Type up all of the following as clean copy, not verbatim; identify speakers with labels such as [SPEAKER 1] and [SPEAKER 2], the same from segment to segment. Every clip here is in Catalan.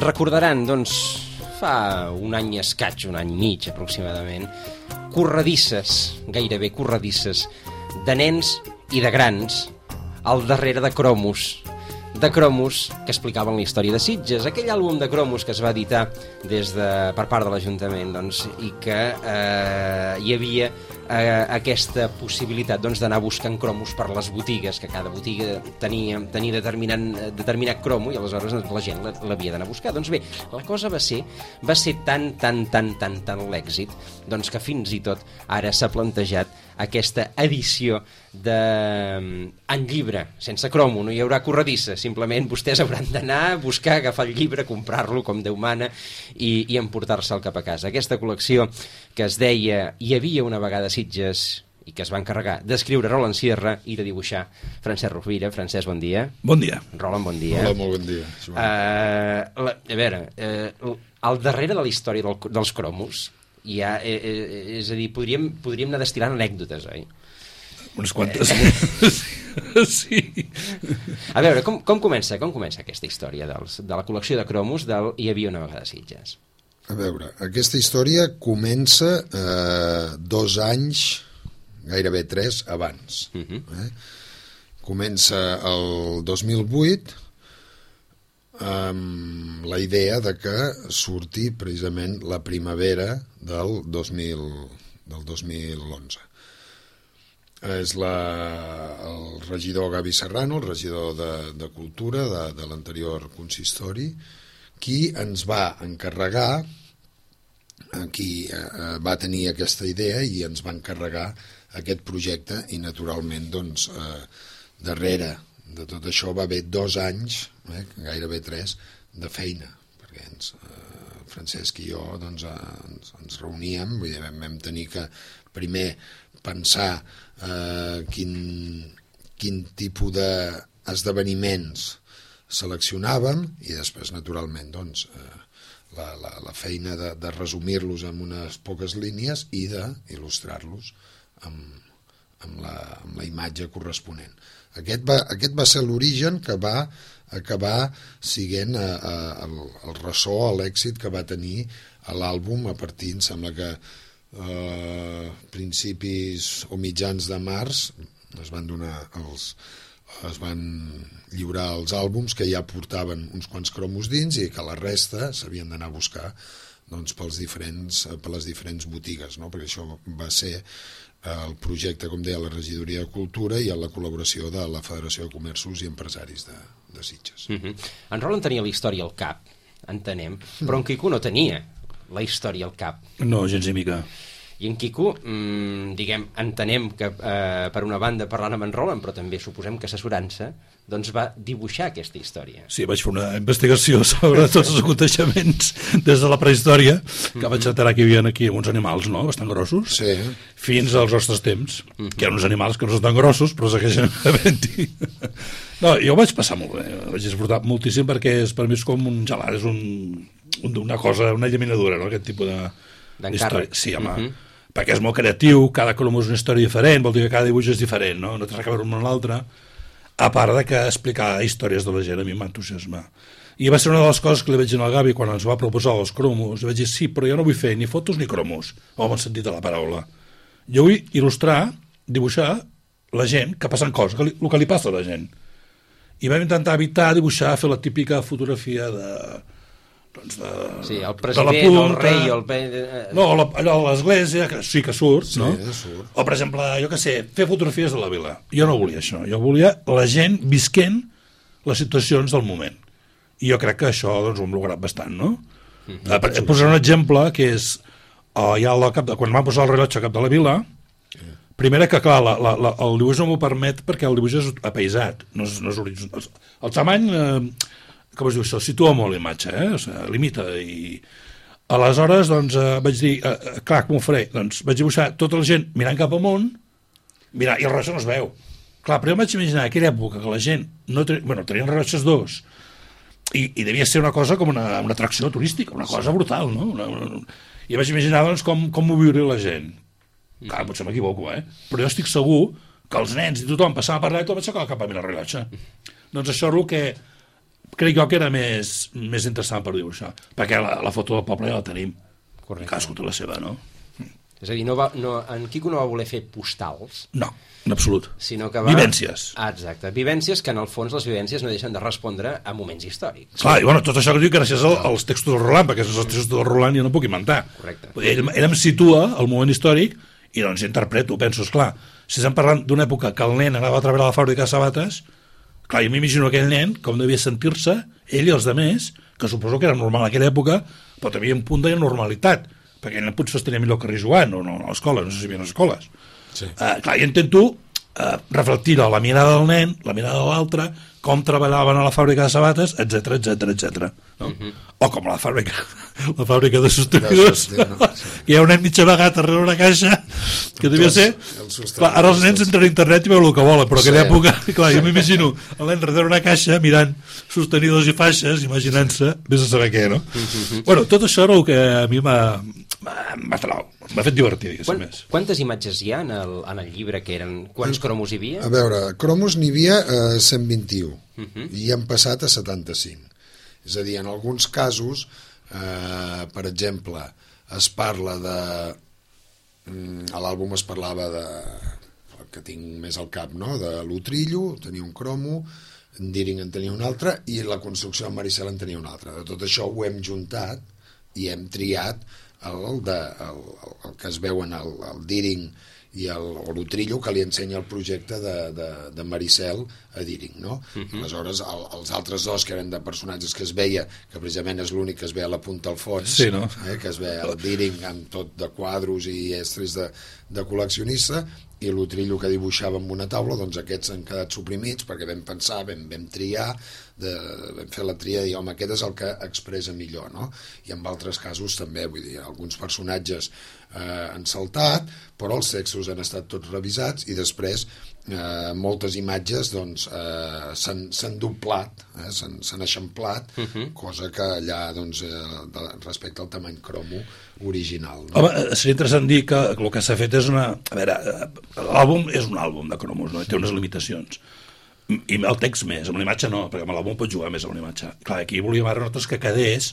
[SPEAKER 1] Recordaran, doncs, fa un any escaig, un any i mig aproximadament, corredisses, gairebé corredisses, de nens i de grans al darrere de cromos, que explicaven la història de Sitges, aquell àlbum de cromos que es va editar per part de l'Ajuntament, doncs, i que hi havia aquesta possibilitat, doncs, d'anar buscant cromos per les botigues, que cada botiga tenia determinat cromo i aleshores la gent l'havia d'anar a buscar. Doncs bé, la cosa va ser tan l'èxit, doncs, que fins i tot ara s'ha plantejat aquesta edició en llibre, sense cromo, no hi haurà corredissa, simplement vostès hauran d'anar a buscar, agafar el llibre, comprar-lo com Déu mana i emportar-se'l cap a casa. Aquesta col·lecció que es deia Hi havia una vegada a Sitges i que es va encarregar d'escriure Roland Sierra i de dibuixar Francesc Rovira. Francesc, bon dia.
[SPEAKER 2] Bon dia.
[SPEAKER 1] Roland, bon dia.
[SPEAKER 3] Hola, molt bon dia.
[SPEAKER 1] A veure, al darrere de la història dels cromos hi ha, és a dir, podríem anar destil·lant anècdotes, oi?
[SPEAKER 2] Unes quantes. Sí.
[SPEAKER 1] A veure, com comença aquesta història de la col·lecció de cromos del Hi havia una vegada a Sitges?
[SPEAKER 3] A veure, aquesta història comença 2 anys, gairebé 3, abans. Comença el 2008 amb la idea de que surti precisament la primavera del 2011. És el regidor Gavi Serrano, el regidor de Cultura de l'anterior consistori, qui ens va encarregar, qui va tenir aquesta idea i ens va encarregar aquest projecte i naturalment doncs darrere de tot això va haver 2 anys, gairebé 3, de feina, perquè Francesc i jo doncs, ens reuníem, vull dir, vam tenir que primer pensar quin tipus d'esdeveniments seleccionàvem i després naturalment doncs, la feina de resumir-los en unes poques línies i d'il·lustrar-los amb la imatge corresponent. Aquest va ser l'origen que va acabar sent el ressò, l'èxit que va tenir l'àlbum a partir, em sembla que principis o mitjans de març es van lliurar els àlbums que ja portaven uns quants cromos dins i que la resta s'havien d'anar a buscar doncs, per les diferents botigues, no? Perquè això va ser el projecte, com deia, la Regidoria de Cultura i amb la col·laboració de la Federació de Comerços i Empresaris de Sitges.
[SPEAKER 1] En Roland tenia la història al cap, entenem, però en Quico no tenia la història al cap.
[SPEAKER 2] No, gens ni mica.
[SPEAKER 1] I en Quico, entenem que per una banda parlant amb en Roland, però també suposem que assessorant-se, doncs va dibuixar aquesta història.
[SPEAKER 2] Sí, vaig fer una investigació sobre tots els aconteixements des de la prehistòria, que vaig enterar que hi havia aquí uns animals, no?, bastant grossos,
[SPEAKER 3] sí,
[SPEAKER 2] fins als nostres temps, que hi ha uns animals que no són tan grossos, però segueixen havent-hi. No, jo ho vaig passar molt bé, vaig disfrutar moltíssim perquè per mi és com un gelat, és una cosa, una llaminadura, no?, aquest tipus d'història. Sí, home, perquè és molt creatiu, cada colom és una història diferent, vol dir que cada dibuix és diferent, no té res a veure amb l'altre, a part de que explicar històries de la gent a mi m'entusiasma. I va ser una de les coses que li vaig dir al Gavi quan ens va proposar els cromos, li vaig dir, sí, però jo no vull fer ni fotos ni cromos, o amb el sentit de la paraula. Jo vull il·lustrar, dibuixar la gent que passen coses, el que li passa a la gent. I vam intentar evitar dibuixar, fer la típica fotografia
[SPEAKER 1] sí, el president, el rei
[SPEAKER 2] no, allò a l'església que sí que surt,
[SPEAKER 3] sí,
[SPEAKER 2] no?
[SPEAKER 3] Surt.
[SPEAKER 2] O per exemple, jo què sé, fer fotografies de la vila. Jo no volia això, jo volia la gent visquent les situacions del moment i jo crec que això doncs, ho hem lograt bastant, no? Posaré un exemple que és quan van posar el rellotge al cap de la vila, primera que clar, el dibuix no m'ho permet perquè el dibuix és apaisat, no és horitzontal. El tamany com es diu això, situa molt l'imatge, o sigui, limita, i aleshores doncs vaig dir, clar, com ho faré? Doncs vaig dibuixar tota la gent mirant cap amunt, i el rellotge no es veu. Clar, però jo vaig imaginar aquella època que la gent tenien rellotges dos, i devia ser una cosa com una atracció turística, una cosa brutal, no? I vaig imaginar doncs com ho viuria la gent. Clar, potser m'equivoco, però jo estic segur que els nens i tothom passava per allà i tot vaig aixecar el cap a mirar el rellotge. Doncs això és el que crec jo que era més interessant per dibuixar, perquè la foto del poble ja la tenim.
[SPEAKER 1] Correcte.
[SPEAKER 2] Cadascú té la seva, no?
[SPEAKER 1] És a dir, en Quico no va voler fer postals,
[SPEAKER 2] No, en absolut.
[SPEAKER 1] sinó que va...
[SPEAKER 2] Vivències.
[SPEAKER 1] Exacte, vivències que en el fons les vivències no deixen de respondre a moments històrics.
[SPEAKER 2] Clar, i bueno, tot això que diu gràcies als textos del Roland, perquè sense els textos del Roland jo no puc inventar.
[SPEAKER 1] Correcte.
[SPEAKER 2] Ell em situa al moment històric i doncs interpreto, penso, esclar, si estem parlant d'una època que el nen anava a treballar a la fàbrica de sabates, clar, jo m'imagino aquell nen com devia sentir-se, ell i els altres, que suposo que era normal en aquella època, però també hi havia un punt de normalitat, perquè ell potser es tenia millor que jugant, o no a l'escola, no sé si hi havia escoles. Sí. Clar, jo intento reflectir la mirada del nen, la mirada de l'altre, com treballaven a la fàbrica de sabates, etc. No? O com la fàbrica de sostenidors, que hi ha un nen mig amagat darrere una caixa, que devia ser... Clar, ara els nens entren a internet i veuen el que volen, però en aquella època, clar, jo m'imagino el nen darrere una caixa mirant sostenidors i faixes, imaginant-se, vés a saber què, no? Bueno, tot això era el que a mi m'ha fet divertir, diguéssim més.
[SPEAKER 1] Quantes imatges hi ha en el llibre que eren... Quants cromos hi havia?
[SPEAKER 3] A veure, cromos n'hi havia 121 i hem passat a 75. És a dir, en alguns casos, per exemple, es parla de... A l'àlbum es parlava de... que tinc més al cap, no? De l'Utrillo, tenia un cromo, en Deering en tenia un altre i la construcció de Maricel en tenia un altre. De tot això ho hem juntat i hem triat el que es veuen el Deering i l'Utrillo, que li ensenya el projecte de Maricel a Deering, no? Aleshores, els altres dos, que eren de personatges que es veia, que precisament és l'únic que es ve a la punta al fons,
[SPEAKER 2] sí, no?
[SPEAKER 3] Que es ve el Deering amb tot de quadros i estris de col·leccionista, i l'Utrillo que dibuixava amb una taula, doncs aquests han quedat suprimits perquè vam pensar, vam triar, vam fer la tria i home, aquest és el que expressa millor, no? I en altres casos també, vull dir, alguns personatges han saltat, però els textos han estat tots revisats i després moltes imatges doncs s'han doblat, s'han eixamplat, cosa que allà doncs respecte al tamany cromo original, no?
[SPEAKER 2] Home, seria interessant dir que el que s'ha fet és una... A veure, l'àlbum és un àlbum de cromos, no? Té unes limitacions. I el text més, amb la imatge no, perquè amb l'àlbum pots jugar més amb la imatge. Clar, aquí volíem ara nosaltres que quedés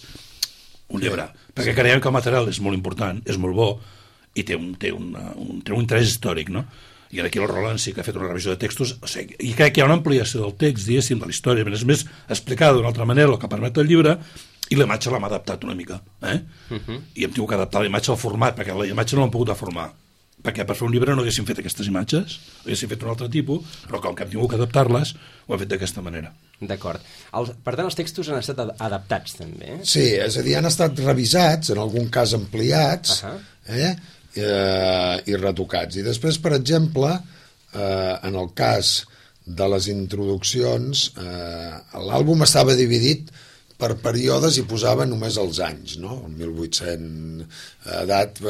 [SPEAKER 2] un llibre, perquè creiem que el material és molt important, és molt bo, i té un interès històric, no? I aquí el Roland sí que ha fet una revisió de textos, o sigui, i crec que hi ha una ampliació del text, diguéssim, de la història, és més explicada d'una altra manera el que permet el llibre, i la imatge l'hem adaptat una mica, i hem tingut que adaptar la imatge al format, perquè la imatge no l'hem pogut deformar, perquè per fer un llibre no haguéssim fet aquestes imatges, haguéssim fet un altre tipus, però com que hem tingut que adaptar-les, ho hem fet d'aquesta manera.
[SPEAKER 1] D'acord. Per tant, els textos han estat adaptats, també?
[SPEAKER 3] Sí, és a dir, han estat revisats, en algun cas ampliats, i retocats. I després, per exemple, en el cas de les introduccions, l'àlbum estava dividit per períodes i posava només els anys, no? El 1800, edat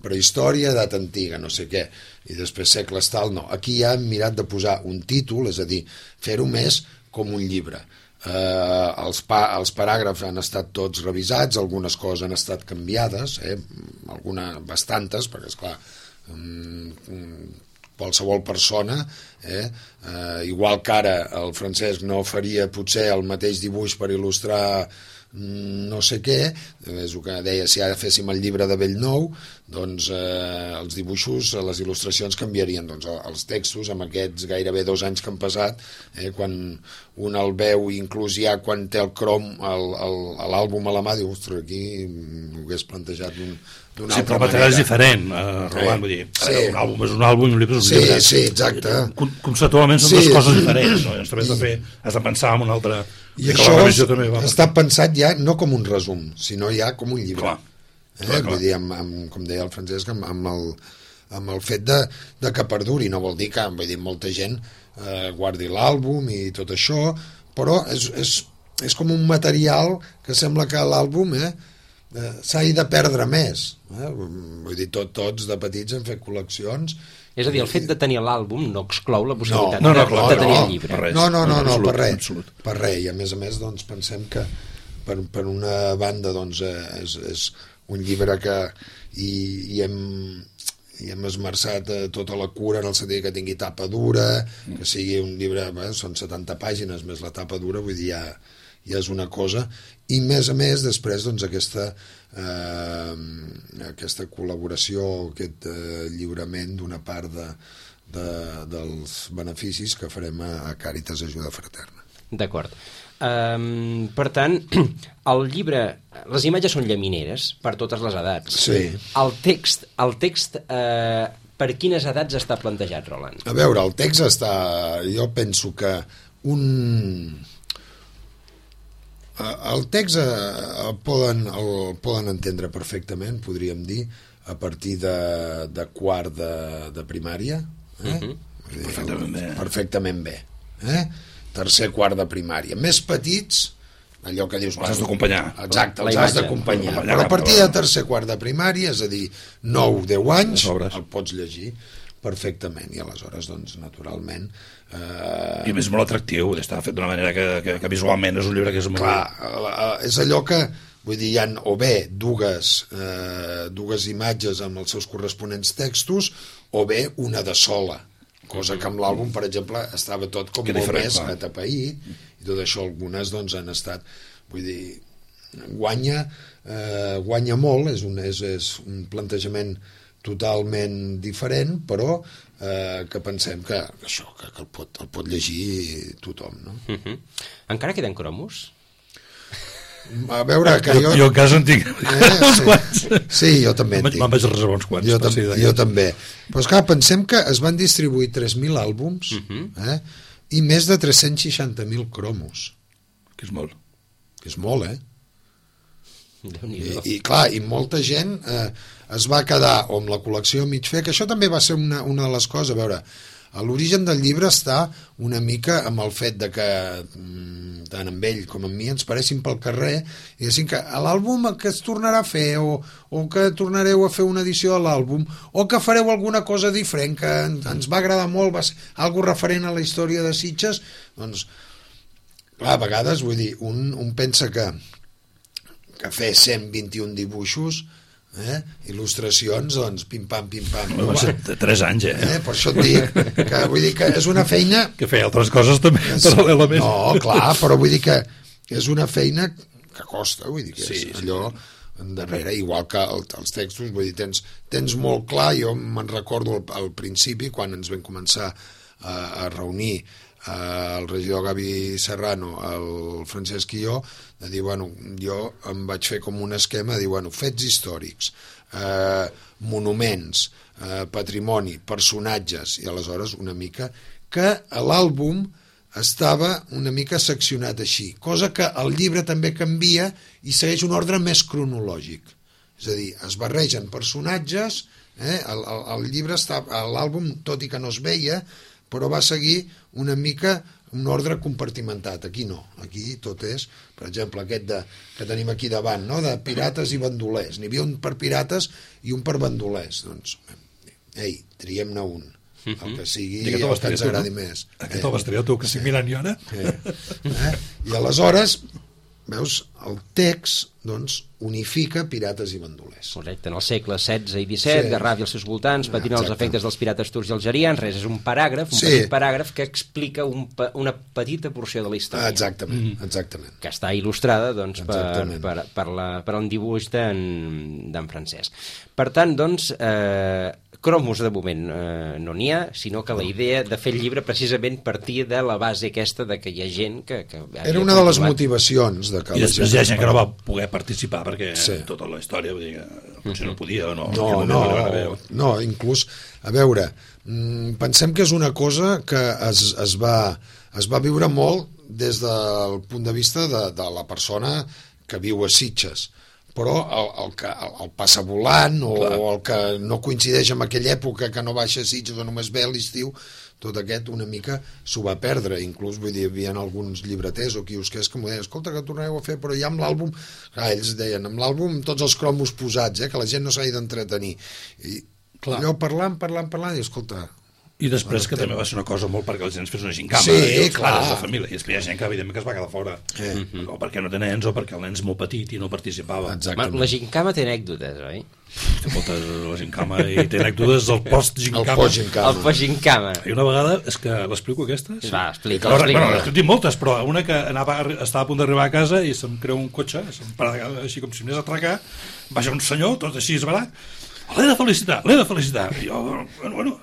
[SPEAKER 3] prehistòria, edat antiga, no sé què, i després segles tal, no. Aquí ja hem mirat de posar un títol, és a dir, fer-ho més com un llibre. Els paràgrafs han estat tots revisats, algunes coses han estat canviades, bastantes, perquè esclar, qualsevol persona, igual que ara el Francesc no faria potser el mateix dibuix per il·lustrar no sé què, és el que deia, si ara féssim el llibre de Bellnou, doncs els dibuixos, les il·lustracions canviarien, doncs els textos amb aquests gairebé 2 anys que han passat, quan un el veu, inclús ja quan té el crom l'àlbum a la mà, diu, ostres, aquí m'ho hagués plantejat d'una altra manera. Sí, però el material
[SPEAKER 2] és diferent, Roland, vull dir, un àlbum és un àlbum i un llibre és un llibre.
[SPEAKER 3] Sí, exacte.
[SPEAKER 2] Conceptualment són dues coses diferents, no? Has de pensar en una altra...
[SPEAKER 3] I això està pensat ja no com un resum, sinó ja com un llibre. Clar. Vull dir, com deia el Francesc, amb el fet de que perduri, no vol dir que molta gent guardi l'àlbum i tot això, però és com un material que sembla que l'àlbum s'hagi de perdre més. Vull dir, tots de petits hem fet col·leccions.
[SPEAKER 1] És a dir, el fet de tenir l'àlbum no exclou la possibilitat de tenir el llibre.
[SPEAKER 3] No, per res. Per res. I a més doncs, pensem que per una banda doncs, és un llibre que hi hem esmerçat tota la cura en el sentit que tingui tapa dura, que sigui un llibre, són 70 pàgines més la tapa dura, vull dir, ja és una cosa, i més a més després doncs aquesta col·laboració, aquest lliurament d'una part dels beneficis que farem a Càritas Ajuda Fraterna.
[SPEAKER 1] D'acord. Per tant, el llibre, les imatges són llamineres per totes les edats.
[SPEAKER 3] Sí.
[SPEAKER 1] El text per quines edats està plantejat, Roland?
[SPEAKER 3] A veure, el text està... Jo penso que el text el poden entendre perfectament, podríem dir, a partir de quart de primària. Perfectament bé. Tercer, quart de primària. Més petits, allò que dius...
[SPEAKER 2] Els has d'acompanyar.
[SPEAKER 3] Exacte, els has d'acompanyar. Però a partir de tercer, quart de primària, és a dir, 9-10 anys, el pots llegir perfectament, i aleshores, doncs, naturalment...
[SPEAKER 2] I és molt atractiu, està fet d'una manera que visualment és un llibre que és molt...
[SPEAKER 3] Clar, és allò que, vull dir, hi ha o bé dues imatges amb els seus corresponents textos, o bé una de sola, cosa que amb l'àlbum, per exemple, estava tot com molt més atapeït, i tot això algunes doncs han estat, vull dir, guanya molt, és un plantejament totalment diferent, però que pensem que això, que el pot llegir tothom, no?
[SPEAKER 1] Encara queden cromos?
[SPEAKER 3] A veure, que
[SPEAKER 2] jo a casa en tinc uns quants.
[SPEAKER 3] Sí, jo també en tinc.
[SPEAKER 2] Me'n vaig reservar uns quants.
[SPEAKER 3] Jo també. Però esclar, pensem que es van distribuir 3.000 àlbums i més de 360.000 cromos.
[SPEAKER 2] Que és molt.
[SPEAKER 3] Que és molt, I clar, i molta gent es va quedar o amb la col·lecció mig fer, que això també va ser una de les coses. A veure, l'origen del llibre està una mica amb el fet de que tant amb ell com amb mi ens paressin pel carrer i diguéssim que l'àlbum que es tornarà a fer o que tornareu a fer una edició de l'àlbum o que fareu alguna cosa diferent que ens va agradar molt, va ser algo referent a la història de Sitges, doncs clar, a vegades, vull dir, un pensa que fer 121 dibuixos, il·lustracions, doncs, pim-pam, pim-pam.
[SPEAKER 2] Va ser 3 anys,
[SPEAKER 3] Per això et dic que, vull dir que és una feina...
[SPEAKER 2] Que feia altres coses també, paral·lelament.
[SPEAKER 3] No, clar, però vull dir que és una feina que costa, vull dir que és allò darrere, igual que els textos, vull dir, tens molt clar, jo me'n recordo al principi, quan ens vam començar a reunir el regidor Gavi Serrano, el Francesc i jo, de dir, bueno, jo em vaig fer com un esquema de dir, bueno, fets històrics, monuments, patrimoni, personatges, i aleshores una mica que l'àlbum estava una mica seccionat així, cosa que el llibre també canvia i segueix un ordre més cronològic, és a dir, es barregen personatges, el llibre està, l'àlbum, tot i que no es veia, però va seguir una mica un ordre compartimentat. Aquí no, aquí tot és, per exemple, aquest que tenim aquí davant, no? De pirates i bandolers. N'hi havia un per pirates i un per bandolers. Doncs, ei, triem-ne un, el que sigui, el que ens agradi més.
[SPEAKER 2] Aquest el vas triar tu, que estic mirant jo ara.
[SPEAKER 3] I aleshores, veus, el text, doncs, unifica pirates i bandolers.
[SPEAKER 1] Correcte, en el segle XVI i XVII, Garraf i els seus voltants patint els efectes dels pirates turcs i algerians, res, és un paràgraf, petit paràgraf que explica una petita porció de la història.
[SPEAKER 3] Exactament.
[SPEAKER 1] Que està il·lustrada, doncs, per un dibuix d'en Francesc. Per tant, doncs, cromos de moment no n'hi ha, sinó que la idea de fer el llibre precisament partia de la base aquesta de que hi ha gent que
[SPEAKER 3] era una de les motivacions de que
[SPEAKER 2] i després hi ha gent que no va poder participar perquè tota la història, vull dir que potser no podia o no.
[SPEAKER 3] No, inclús, a veure, pensem que és una cosa que es va viure molt des del punt de vista de la persona que viu a Sitges, però el passa volant o el que no coincideix amb aquella època que no baixa a Sitges o només ve a l'estiu, tot aquest una mica s'ho va perdre, inclús vull dir, hi havia alguns llibreters o quiosquers que m'ho deien, escolta, que tornareu a fer, però ja amb l'àlbum, ells deien, amb l'àlbum tots els cromos posats, que la gent no s'hagi d'entretenir, i allò parlant, i escolta,
[SPEAKER 2] I després que també va ser una cosa molt perquè la gent es fes una gincama.
[SPEAKER 3] Sí, clar.
[SPEAKER 2] De família. I després hi ha gent que, evidentment, que es va quedar fora. O perquè no té nens, o perquè el nen és molt petit i no participava.
[SPEAKER 3] Exactament.
[SPEAKER 1] La gincama té anècdotes, oi?
[SPEAKER 2] Té moltes la gincama i té anècdotes del post-gincama.
[SPEAKER 3] El post-gincama.
[SPEAKER 1] El post-gincama.
[SPEAKER 2] I una vegada, és que l'explico aquesta? Sí.
[SPEAKER 1] Va, explica.
[SPEAKER 2] Bueno, n'he dit moltes, però una que estava a punt d'arribar a casa i se'm creu un cotxe, se'm para així com si m'anés a atracar, baix un senyor, tot així esbarat, l'he de felicitar. I jo, bueno,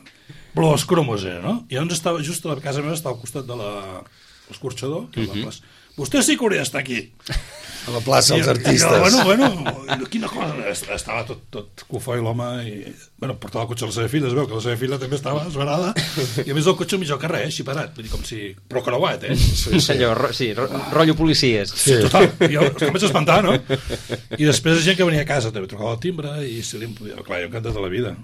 [SPEAKER 2] però els cromos era, no? I llavors estava just a la casa meva, estava al costat de l'escorxador, que és la plaça. Vostè sí que hauria d'estar aquí.
[SPEAKER 3] A la plaça dels artistes.
[SPEAKER 2] Bueno, quina cosa. Estava tot cofoi l'home i... Bueno, portava el cotxe a la seva filla, es veu que la seva filla també estava esverada i a més el cotxe millor que res, així parat. Vull dir, com si... Però creuat,
[SPEAKER 1] Sí. Rotllo policies.
[SPEAKER 2] Sí. Total, jo em vaig espantar, no? I després gent que venia a casa, també trucava el timbre i si li podia... Clar, jo encantat de la vida.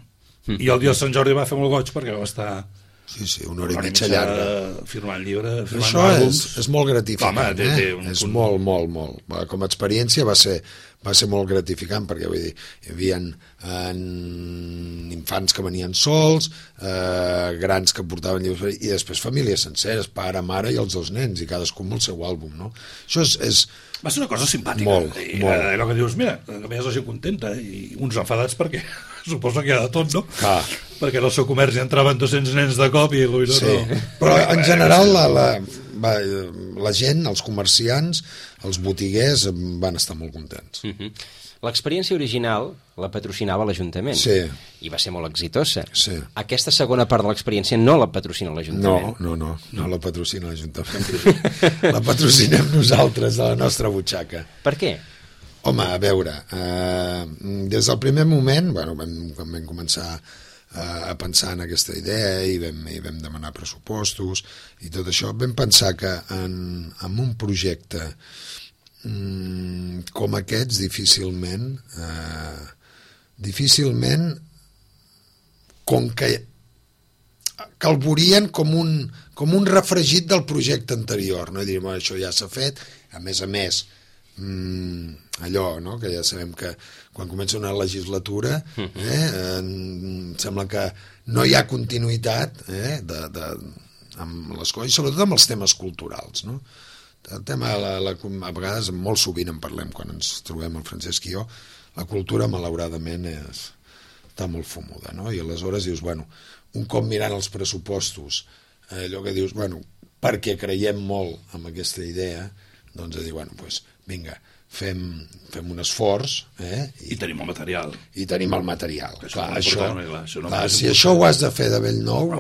[SPEAKER 2] I el dia de Sant Jordi va fer molt goig perquè va estar...
[SPEAKER 3] Sí, una hora i mitja llarga.
[SPEAKER 2] Firmant llibre, firmant
[SPEAKER 3] això
[SPEAKER 2] àlbums.
[SPEAKER 3] És molt gratificant.
[SPEAKER 2] Home, té un
[SPEAKER 3] és
[SPEAKER 2] punt...
[SPEAKER 3] molt. Com a experiència va ser molt gratificant perquè vull dir, hi havia infants que venien sols, grans que portaven llibres i després famílies senceres, pare, mare i els dos nens i cadascú amb el seu àlbum, no? Això és
[SPEAKER 2] va ser una cosa simpàtica.
[SPEAKER 3] Molt.
[SPEAKER 2] Allò que dius, mira, que veies la gent contenta i uns enfadats perquè suposo que hi ha de tot, no?
[SPEAKER 3] Clar.
[SPEAKER 2] Perquè en el seu comerç hi entraven 200 nens de cop i potser
[SPEAKER 3] sí.
[SPEAKER 2] no.
[SPEAKER 3] Però en general la gent, els comerciants, els botiguers van estar molt contents.
[SPEAKER 1] L'experiència original la patrocinava l'Ajuntament.
[SPEAKER 3] Sí.
[SPEAKER 1] I va ser molt exitosa.
[SPEAKER 3] Sí.
[SPEAKER 1] Aquesta segona part de l'experiència no la patrocina l'Ajuntament.
[SPEAKER 3] No la patrocina l'Ajuntament. La patrocinem nosaltres, de la nostra butxaca.
[SPEAKER 1] Per què?
[SPEAKER 3] Home, a veure, des del primer moment, quan vam començar a pensar en aquesta idea i vam demanar pressupostos i tot això, vam pensar que en un projecte com aquests difícilment com que el veurien com un refregit del projecte anterior, no? I diríem, això ja s'ha fet, a més allò, no? Que ja sabem que quan comença una legislatura sembla que no hi ha continuïtat amb les coses, i sobretot amb els temes culturals, no? El tema, a vegades molt sovint en parlem quan ens trobem el Francesc i jo, la cultura malauradament està molt fumuda, no? I aleshores dius, un cop mirant els pressupostos, allò que dius, perquè creiem molt en aquesta idea, doncs a dir, vinga, fem un esforç
[SPEAKER 2] i tenim el material.
[SPEAKER 3] Si això ho has de fer de bell nou,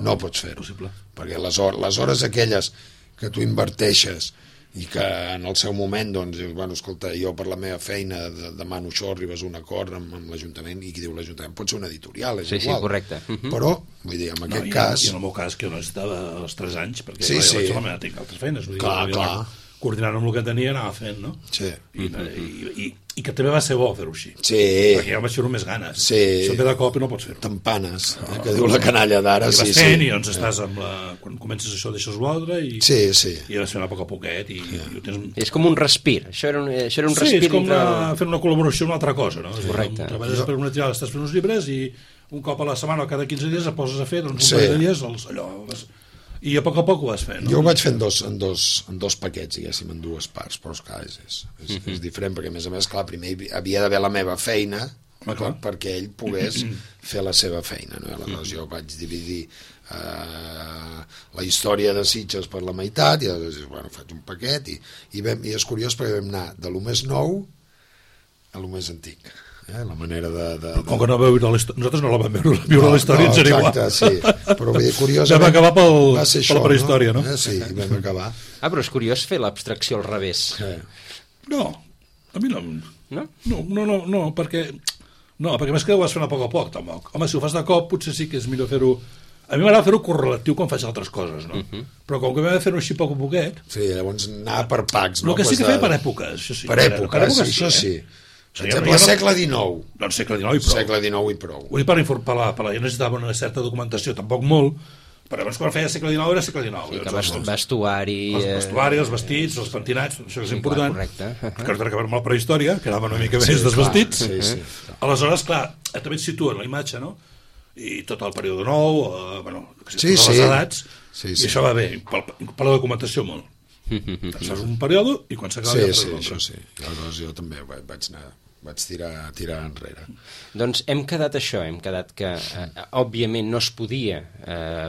[SPEAKER 2] no
[SPEAKER 3] pots fer-ho. Perquè les hores aquelles que tu inverteixes i que en el seu moment doncs dius, escolta, jo per la meva feina demano això, arribes a un acord amb l'Ajuntament, i qui diu l'Ajuntament pot ser una editorial, és igual.
[SPEAKER 1] Sí, correcte.
[SPEAKER 3] Però, vull dir, en aquest cas...
[SPEAKER 2] I en el meu cas, que jo necessitava els 3 anys, perquè
[SPEAKER 3] sí.
[SPEAKER 2] Tinc altres feines.
[SPEAKER 3] Clar.
[SPEAKER 2] Coordinant amb el que tenia anava fent, no?
[SPEAKER 3] Sí.
[SPEAKER 2] I que també va ser bo fer-ho així.
[SPEAKER 3] Sí.
[SPEAKER 2] Perquè jo vaig fer-ho més ganes.
[SPEAKER 3] Sí.
[SPEAKER 2] Això ve de cop i no pots fer-ho.
[SPEAKER 3] Tampanes, que diu la canalla d'ara.
[SPEAKER 2] I vas fent i doncs estàs amb quan comences això deixes l'altre i vas fent a poc a poquet i ho tens...
[SPEAKER 1] És com un respir. Això era un respir.
[SPEAKER 2] Sí, és com fer una col·laboració amb una altra cosa, no?
[SPEAKER 1] Correcte.
[SPEAKER 2] Treballes per una triada, estàs fent uns llibres i un cop a la setmana o cada 15 dies et poses a fer un parell de dies allò... I a poc ho vas fent, no?
[SPEAKER 3] Jo ho vaig fer en dos paquets, diguéssim, en dues parts, però clar, és diferent, perquè a més, clar, primer havia d'haver la meva feina perquè ell pogués fer la seva feina, no? Aleshores jo vaig dividir la història de Sitges per la meitat i llavors faig un paquet i és curiós perquè vam anar de lo més nou a lo més antic. La manera de...
[SPEAKER 2] Com que no vau viure nosaltres no la vam viure la història, ens era igual.
[SPEAKER 3] Exacte, sí. Però curiosament...
[SPEAKER 2] Vam acabar per la prehistòria, no?
[SPEAKER 3] Sí, vam acabar.
[SPEAKER 1] Però és curiós fer l'abstracció al revés.
[SPEAKER 2] No, a mi no. No, perquè més que ho vas fent a poc, tampoc. Home, si ho fas de cop, potser sí que és millor fer-ho... A mi m'agrada fer-ho correlatiu quan faig altres coses, no? Però com que vam fer-ho així poc a poquet...
[SPEAKER 3] Sí, llavors anar per packs, no?
[SPEAKER 2] El que sí que feia per èpoques, això sí.
[SPEAKER 3] Per èpoques, això sí. Per exemple, segle XIX.
[SPEAKER 2] Doncs segle XIX i prou.
[SPEAKER 3] Segle XIX i prou.
[SPEAKER 2] Vull dir, per la gent necessitava una certa documentació, tampoc molt, però abans quan feia segle XIX era segle XIX.
[SPEAKER 1] Sí, que vestuari...
[SPEAKER 2] El vestuari, els vestits, els pentinats, això és important.
[SPEAKER 1] Correcte.
[SPEAKER 2] Que no acabar amb la prehistòria, que anava una mica més dels vestits.
[SPEAKER 3] Sí.
[SPEAKER 2] Aleshores, clar, també et situen la imatge, no? i tot el període nou, totes les edats, i això va bé, per la documentació molt. Fas un període i quan s'acaba
[SPEAKER 3] això sí. Aleshores jo també vaig tirar enrere.
[SPEAKER 1] Doncs hem quedat que òbviament no es podia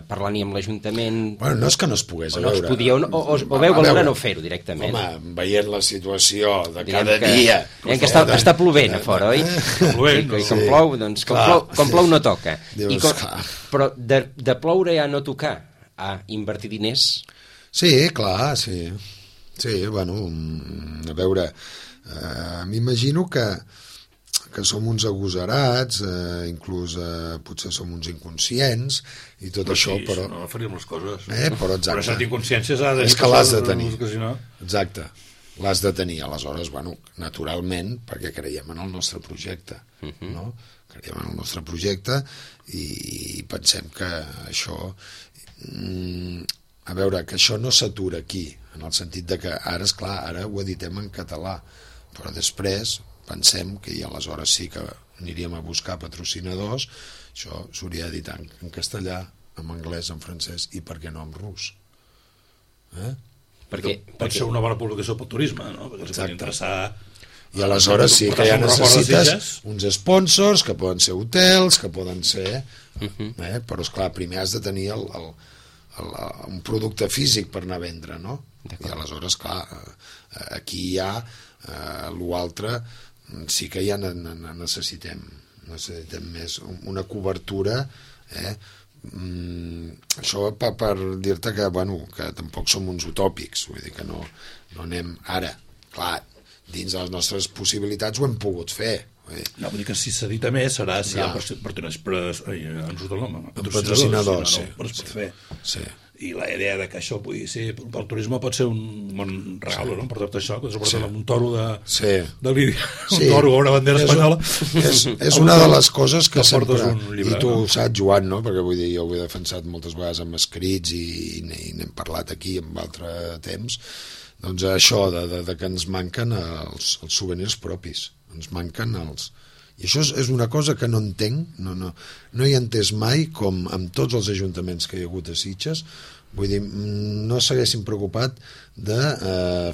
[SPEAKER 1] parlar ni amb l'Ajuntament...
[SPEAKER 3] Bueno, no és que no es pogués,
[SPEAKER 1] a veure... O veu valorar no fer-ho directament.
[SPEAKER 3] Home, veient la situació de cada dia...
[SPEAKER 1] Que està plovent a fora, oi? I com plou, doncs com plou no toca. Però de ploure a no tocar, a invertir diners...
[SPEAKER 3] Sí, clar, sí. Sí, bueno, a veure... m'imagino que som uns agosarats, inclús potser som uns inconscients i tot això, però...
[SPEAKER 2] No faríem les coses.
[SPEAKER 3] Però exacte.
[SPEAKER 2] Però aquesta inconsciència
[SPEAKER 3] és que l'has de tenir. Exacte. L'has de tenir. Aleshores, naturalment, perquè creiem en el nostre projecte, no? Creiem en el nostre projecte i pensem que això... A veure, que això no s'atura aquí, en el sentit de que ara, esclar, ara ho editem en català, però després pensem que i aleshores sí que aniríem a buscar patrocinadors, això s'hauria d'editar en castellà, en anglès, en francès i per què no en rus.
[SPEAKER 2] Pot ser una bona publicació pel turisme, no? Perquè els pot interessar...
[SPEAKER 3] I aleshores sí que ja necessites uns sponsors, que poden ser hotels, que poden ser... Però esclar, primer has de tenir un producte físic per anar a vendre, no? I aleshores, clar, aquí hi ha l'altre, sí que ja necessitem més una cobertura, això per dir-te que tampoc som uns utòpics, vull dir que no anem ara, clar, dins de les nostres possibilitats ho hem pogut fer.
[SPEAKER 2] No, vull dir que si s'edita més serà si hi ha patrocinadors, però es pot fer. I la idea de que això pugui ser pel turisme pot ser un bon regal, no? Per tot això, que es porta un toro de Lídia, un toro o una bandera espanyola.
[SPEAKER 3] És una de les coses que sempre, i tu ho saps, Joan, no? Perquè vull dir, jo ho he defensat moltes vegades amb escrits i n'hem parlat aquí en altre temps, doncs això de que ens manquen els souvenirs propis, ens manquen els... I això és una cosa que no entenc, no he entès mai, com amb tots els ajuntaments que hi ha hagut a Sitges, vull dir, no s'haguessin preocupat de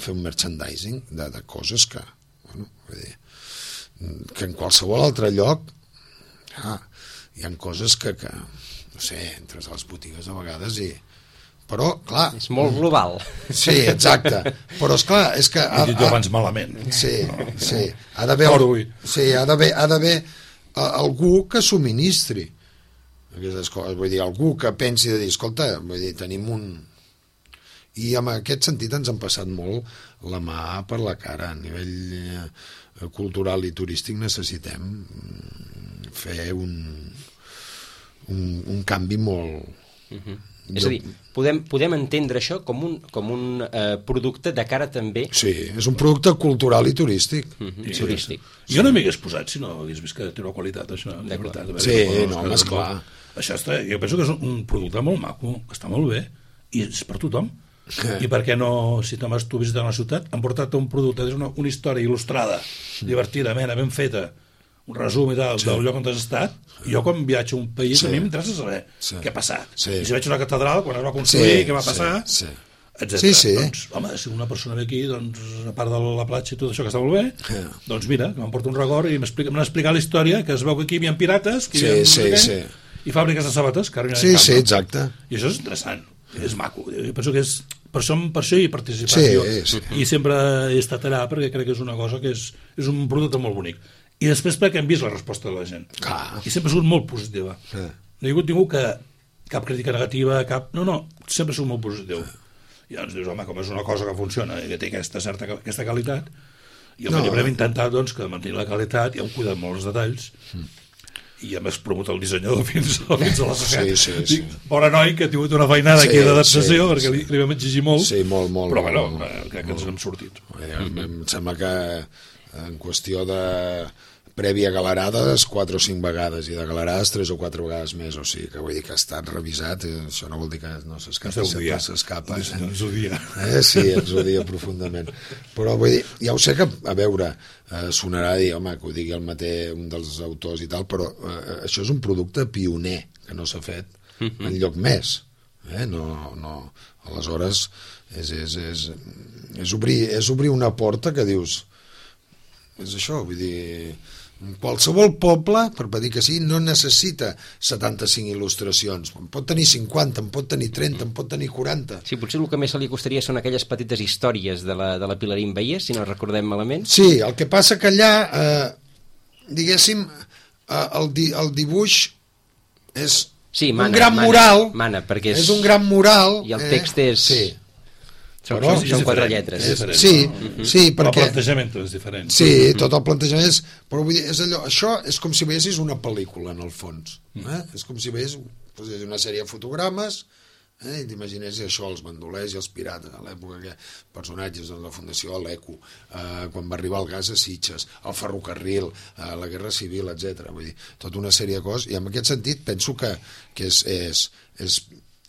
[SPEAKER 3] fer un merchandising de coses que, vull dir, que en qualsevol altre lloc hi ha coses que no sé, entres a les botigues a vegades i... Però, clar...
[SPEAKER 1] És molt global.
[SPEAKER 3] Sí, exacte. Però, esclar, és que...
[SPEAKER 2] He dit jo abans malament.
[SPEAKER 3] Sí. Ha d'haver algú que subministri aquestes coses. Vull dir, algú que pensi de dir, escolta, vull dir, tenim un... I en aquest sentit ens han passat molt la mà per la cara. A nivell cultural i turístic necessitem fer un canvi molt...
[SPEAKER 1] És a dir, podem entendre això com un producte de cara també...
[SPEAKER 3] Sí, és un producte cultural i turístic.
[SPEAKER 1] Turístic.
[SPEAKER 2] Jo no m'hi hagués posat si no hagués vist que té una qualitat, això.
[SPEAKER 3] Sí, no, home, esclar.
[SPEAKER 2] Això jo penso que és un producte molt maco, que està molt bé, i és per tothom. I per què no, si tu visites la ciutat, han portat un producte, és una història il·lustrada, divertida, ben feta, un resum i tal, del lloc on has estat. Jo quan viatjo a un país a mi m'interessa saber què ha passat, i si veig una catedral quan es va construir, què va passar, etc. Doncs, home, si una persona ve aquí, doncs, a part de la platja i tot això que està molt bé, doncs mira, que m'emporta un record i m'han explicat la història, que es veu que aquí hi havia pirates, i fàbriques de sabates, que ara
[SPEAKER 3] sí, exacte.
[SPEAKER 2] I això és interessant, és maco. Jo penso que és per això hi he participat i sempre he estat allà perquè crec que és una cosa que és un producte molt bonic. I després perquè hem vist la resposta de la gent. I sempre ha sigut molt positiva. No hi ha hagut ningú que cap crítica negativa, no, sempre ha sigut molt positiu. I llavors dius, home, com és una cosa que funciona i que té aquesta qualitat, i el llibre hem intentat doncs, que mantenir la qualitat i hem cuidat molt els detalls i hem promut el dissenyador fins a la societat. Bona noi, que ha tingut una feinada aquí d'adaptació perquè li vam exigir molt.
[SPEAKER 3] Sí, molt.
[SPEAKER 2] Però bueno, crec que ens n'hem sortit.
[SPEAKER 3] Em sembla que en qüestió de prèvia galerades 4 o 5 vegades i de galerades 3 o 4 vegades més, o sigui que vull dir que ha estat revisat, això no vol dir que no s'escapa, sempre s'escapa.
[SPEAKER 2] Ens odia.
[SPEAKER 3] Sí, ens odia profundament. Però vull dir, ja ho sé que, a veure, sonarà a dir, home, que ho digui el mateix un dels autors i tal, però això és un producte pioner que no s'ha fet enlloc més. No. Aleshores, és obrir una porta que dius, és això, vull dir, qualsevol poble, per dir que sí, no necessita 75 il·lustracions, en pot tenir 50, en pot tenir 30, en pot tenir 40.
[SPEAKER 1] Sí, potser el que més se li costaria són aquelles petites històries de la Pilarín Veiés, si no recordem malament.
[SPEAKER 3] Sí, el que passa que allà, diguéssim, el dibuix és un gran mural,
[SPEAKER 1] perquè
[SPEAKER 3] és un gran mural,
[SPEAKER 1] i el text és...
[SPEAKER 3] Sí.
[SPEAKER 1] Són 4 lletres.
[SPEAKER 3] Sí, perquè...
[SPEAKER 2] El plantejament és diferent.
[SPEAKER 3] Sí, tot el plantejament és... Però vull dir, és allò, això és com si veiessis una pel·lícula, en el fons. És com si veiessis una sèrie de fotogrames i t'imaginessis això, els bandolers i els pirates, a l'època que personatges de la Fundació l'Eco, quan va arribar el gas a Sitges, el ferrocarril, la Guerra Civil, etc. Vull dir, tota una sèrie de coses, i en aquest sentit penso que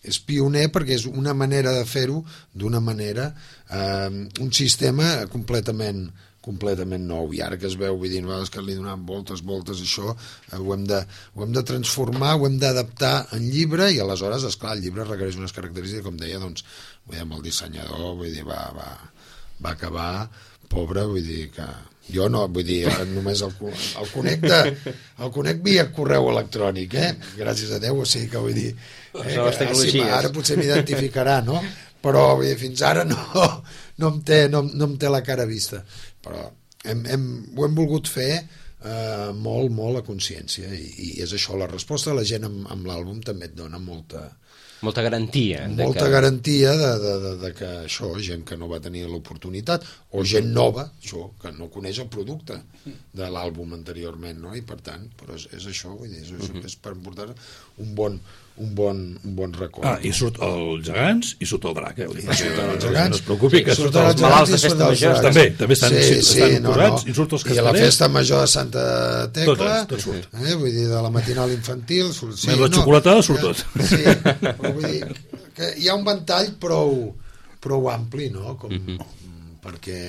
[SPEAKER 3] és pioner perquè és una manera de fer-ho d'una manera, un sistema completament nou, i ara que es veu, vull dir, que li donem voltes, això ho hem de transformar, ho hem d'adaptar en llibre, i aleshores, esclar, el llibre requereix unes característiques, com deia, doncs, vull dir, amb el dissenyador, vull dir, va acabar pobre, vull dir que jo no, vull dir, només el conec via correu electrònic, gràcies a Déu, o sigui que vull dir, ara potser m'identificarà, no? Però vull dir, fins ara no em té la cara vista, però ho hem volgut fer molt a consciència, i és això, la resposta de la gent amb l'àlbum també et dona molta
[SPEAKER 1] garantia.
[SPEAKER 3] Garantia de que això, gent que no va tenir l'oportunitat, o gent nova, això, que no coneix el producte de l'àlbum anteriorment, no? I per tant, però és això, vull dir, és per portar un bon record.
[SPEAKER 2] I surt els gegants i surt el drac,
[SPEAKER 3] els gegants,
[SPEAKER 2] no es preocupi, que
[SPEAKER 1] surt els malalts de festa major.
[SPEAKER 2] També estan posats, i surt els castellers.
[SPEAKER 3] I a la festa major de Santa Tecla,
[SPEAKER 2] tot surt.
[SPEAKER 3] Vull dir, de la matinal infantil,
[SPEAKER 2] la xocolatada surt tot.
[SPEAKER 3] Sí, vull dir que hi ha un ventall prou ampli, no? Perquè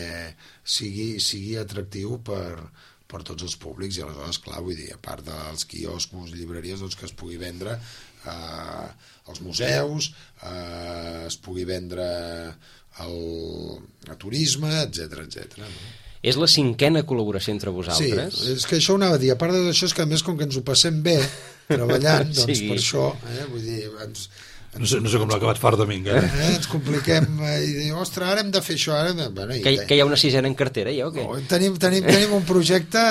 [SPEAKER 3] sigui atractiu per tots els públics, i aleshores, clar, vull dir, a part dels quioscos, llibreries, doncs que es pugui vendre als museus, es pugui vendre a turisme, etc. No?
[SPEAKER 1] És la 5a col·laboració entre vosaltres?
[SPEAKER 3] Sí, és que això ho anava a dir. A part d'això, és que a més, com que ens ho passem bé treballant, doncs per això, vull dir,
[SPEAKER 2] no sé com l'ha acabat fart de minga.
[SPEAKER 3] Ens compliquem i diu, ostres, ara hem de fer això. Bueno,
[SPEAKER 1] que hi ha una 6a en cartera, ja, o què?
[SPEAKER 3] Tenim un projecte.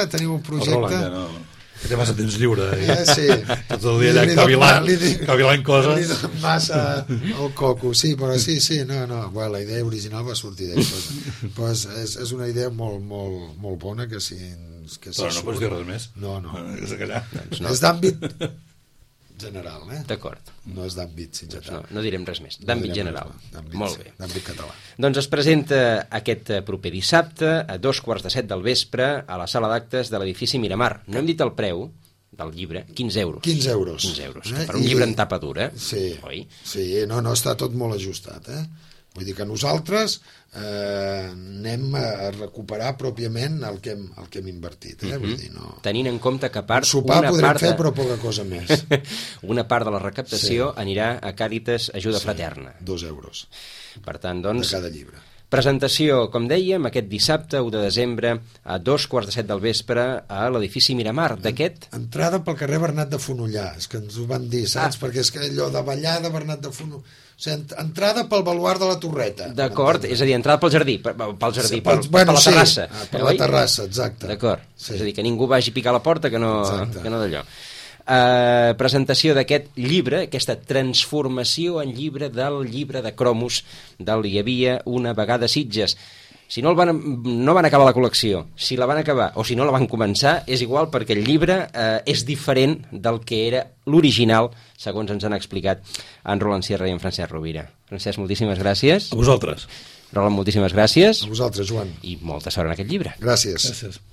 [SPEAKER 2] Que té massa temps lliure.
[SPEAKER 3] Sí.
[SPEAKER 2] Tot el dia allà cavilant coses.
[SPEAKER 3] Li donen massa el coco. Sí, però sí, no. Bueno, la idea original va sortir d'això. Però és una idea molt bona que si...
[SPEAKER 2] Però no pots dir res més?
[SPEAKER 3] No.
[SPEAKER 2] No.
[SPEAKER 3] És d'àmbit general,
[SPEAKER 1] D'acord.
[SPEAKER 3] No és d'àmbit general.
[SPEAKER 1] No direm res més. D'àmbit general. Molt bé.
[SPEAKER 3] D'àmbit català.
[SPEAKER 1] Doncs es presenta aquest proper dissabte a 2:15 del vespre a la sala d'actes de l'edifici Miramar. No hem dit el preu del llibre, 15 euros.
[SPEAKER 3] 15 euros.
[SPEAKER 1] Per un llibre en tapa dura,
[SPEAKER 3] oi? Sí, no, està tot molt ajustat, Vull dir que nosaltres anem a recuperar pròpiament el que hem invertit. Vull dir, no...
[SPEAKER 1] Tenint en compte que a part...
[SPEAKER 3] Sopar podrem fer, però poca cosa més.
[SPEAKER 1] Una part de la recaptació anirà a Càritas Ajuda Fraterna.
[SPEAKER 3] 2 euros.
[SPEAKER 1] Per tant, doncs...
[SPEAKER 3] De cada llibre.
[SPEAKER 1] Presentació, com dèiem, aquest dissabte, 1 de desembre, a 2:15 del vespre, a l'edifici Miramar. D'aquest?
[SPEAKER 3] Entrada pel carrer Bernat de Fonollà, és que ens ho van dir, saps? Perquè és que allò de ballar de Bernat de Fonollà... O sigui, entrada pel baluard de la Torreta.
[SPEAKER 1] D'acord, és a dir, entrada pel jardí, per la terrassa.
[SPEAKER 3] Per la terrassa, exacte.
[SPEAKER 1] D'acord, és a dir, que ningú vagi a picar a la porta que no d'allò. Presentació d'aquest llibre, aquesta transformació en llibre del llibre de cromos del Hi havia una vegada Sitges. Si no van acabar la col·lecció, si la van acabar o si no la van començar, és igual, perquè el llibre és diferent del que era l'original, segons ens han explicat en Roland Sierra i en Francesc Rovira. Francesc, moltíssimes gràcies.
[SPEAKER 2] A vosaltres.
[SPEAKER 1] Roland, moltíssimes gràcies.
[SPEAKER 3] A vosaltres, Joan.
[SPEAKER 1] I molta sort en aquest llibre.
[SPEAKER 3] Gràcies.
[SPEAKER 2] Gràcies.